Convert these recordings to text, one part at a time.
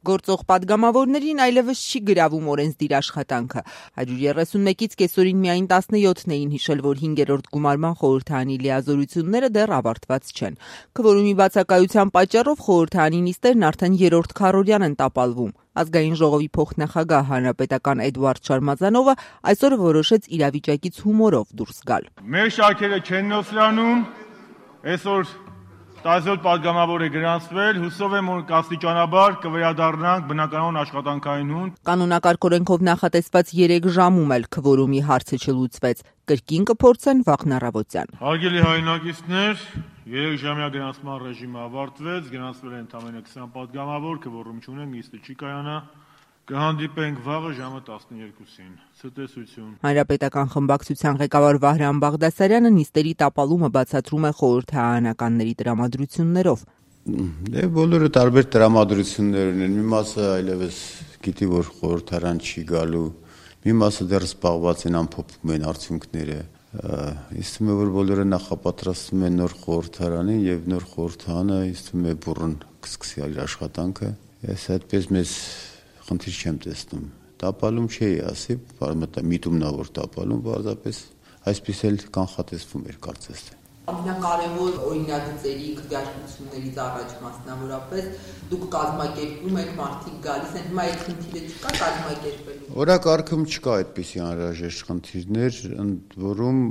Գործող պատգամավորներին այլևս չի գրավում օրենսդիր աշխատանքը։ 131-ից կեսօրին միայն 17-ն էին հիշել, որ 5-րդ գումարման խորհրդարանի լիազորությունները դեռ ավարտված չեն։ Քվորումի բացակայության պատճառով խորհրդարանի նիստերն արդեն 3-րդ քառօրյան են տապալվում։ Ազգային ժողովի փոխնախագահ հանրապետական Էդուարդ Շարմազանովը այսօր որոշեց իրավիճակից հումորով դուրս գալ։ Մեր շարքերը չեն նոսրանում, այսօր 17 պատգամավոր է գրանցվել, հուսով եմ, որ աստիճանաբար կվերադառնանք բնականոն աշխատանքային հունդ։ Կանոնակարգ օրենքով նախատեսված 3 ժամում էլ քվորումի հարցը չլուծվեց։ Կրկին կփորձեն վաղն առավոտյան։ Հարգելի հայրենակիցներ, 3 ժամյա գրանցման ռեժիմը ավարտվեց, գրանցվել են ընդամենը 20 պատգամավոր, քվորում չունենք, նիստը չի կայանա։ Կհանդիպենք վաղը ժամը 12-ին։ Ցտեսություն։ Հանրապետական խմբակցության ղեկավար Վահրամ Բաղդասարյանը նիստերի տապալումը բացատրում է խորհրդարանականների տրամադրություններով։ Բոլորը տարբեր տրամադրություններ ունեն։ Մի մասը այլևս գիտի, որ խորհրդարան չի գալու, մի մասը դեռ զբաղված են, ամփոփում են արդյունքները։ Իսկ թվում է, որ բոլորը նախապատրաստվում են նոր խորհրդարանին եւ նոր խորհրդարանը իսկ թվում է բուռն կսկսի իր աշխատանքը։ Ես այդպես մեզ խնդիր չեմ տեսնում։ Տապալում չի ասի, միտումնավոր տապալում, պարզապես այսպես էլ կանխատեսվում էր կարծես թե։ Ամենակարևոր օրինագծերի քվեարկություններից առաջ մասնավորապես դուք կազմակերպում եք, մարդիկ գալիս են, հիմա այդ խնդիրը չկա կազմակերպելու։ Օրակարգում չկա այդպիսի անհրաժեշտ խնդիրներ, ընդ որում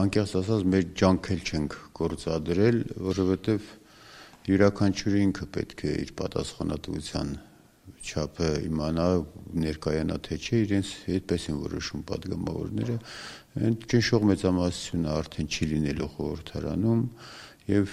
անկեղծ ասած մեր ջանք էլ չենք գործադրել, որովհետև յուրաքանչյուրը ինքը պետք է իր պատասխանատվության չափը իմանա, ներկայանա թե չէ, իրենց այդպես են որոշում պատգամավորները, այդ ճնշող մեծամասնությունը արդեն չի լինելու խորհրդարանում եւ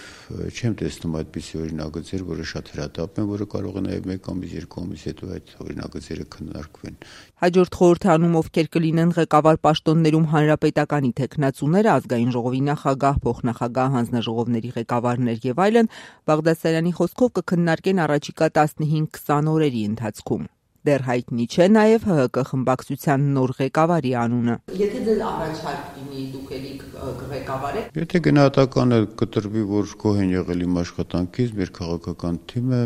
չեմ տեսնում այդպիսի օրինագծեր, որը շատ հրատապ են, որը կարող է նաեւ 1 ամիս, 2 ամիս հետո այդ օրինագծերը քննարկվեն։ Հաջորդ խորհրդարանում ովքեր կլինեն ղեկավար պաշտոններում հանրապետականի թեկնածուները, ազգային ժողովի նախագահ, փոխնախագահ, հանձնաժողովների ղեկավարներ եւ այլն, Բաղդասարյանի խոսքով կքննարկեն առաջիկա 15-20 օրերի ընթացքում։ Դեռ հայտնի չէ նաև ՀՀԿ խմբակցության նոր ղեկավարի անունը։ Եթե ձեզ առաջարկ լինի, դուք էլի կղեկավարեք։ Եթե գնահատականը կտրվի, որ գոհ են եղել իմ աշխատանքից, մեր քաղաքական թիմը,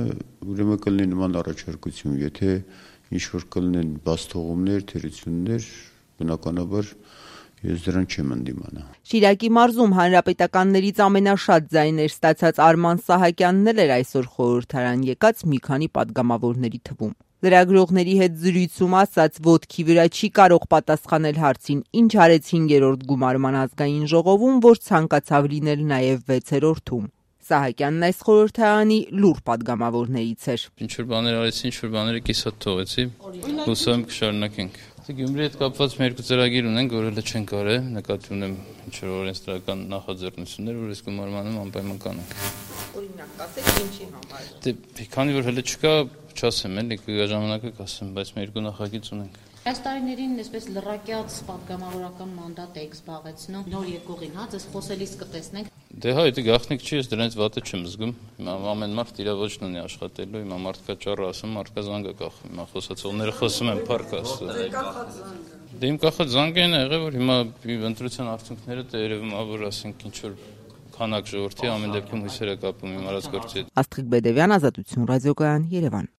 ուրեմն կլինի նման առաջարկություն։ Եթե ինչ որ կլինեն բացթողումներ, թերություններ, բնականաբար ես դրան չեմ ընդդիմանա։ Շիրակի մարզում հանրապետականներից ամենաշատ ձայներ ստացած Արման Սահակյանն էր այսօր խորհրդարան եկած մի քանի պատգամավորների թվում։ Լրագրողների հետ զրույցում ասաց, ոտքի վրա չի կարող պատասխանել հարցին, ինչ արեց 5-րդ գումարման ազգային ժողովում, որ ցանկացավ լինել նաև 6-րդում։ Սահակյանն այս խորհրդարանի լուր պատգամավորներից էր։ Ինչ որ բաներ արեցի, ինչ որ բաները կիսատ թողեցի, հուսով եմ կշարունակենք։ Գյումրի հետ կապված մեր երկու ծրագիր ունենք, որ հələ չենք արել, նկատի ունեմ ինչ որ օրենսդրական նախաձեռնություններ, որ այս գումարմանում անպայման կանենք։ Օրինակ, ասեք ինչի համար։ Դե քանի որ հələ չկա, չասեմ էլի, կգա ժամանակը կասեմ, բայց մեր երկու նախագիծ ունենք։ Այս տարիներին այսպես լրակյաց պատգամավորական մանդատ եք զբաղեցնում, նոր եկողին, հա, ձեզ խոսելիս կտեսնենք։ Դե հա, դա գաղտնիք չի, ես դրանից վատը չեմ զգում։ Հիմա ամեն մարդ իր ոչն ունի աշխատելու, հիմա մարդկա ճառը ասում, մարդկա զանգը կախում, հիմա խոսացողները խոսում են փառք Աստծո։ Դե իմ կախած զանգն է եղել, որ հիմա ընտրության արդյունքները դե երևում է, որ ասենք ինչ որ քանակ ժողովրդի ամեն դեպքում հույսերը կապում իմ արած գործի հետ։ Աստղիկ Բեդևյան, Ազատություն ռադիոկայան, Երևան։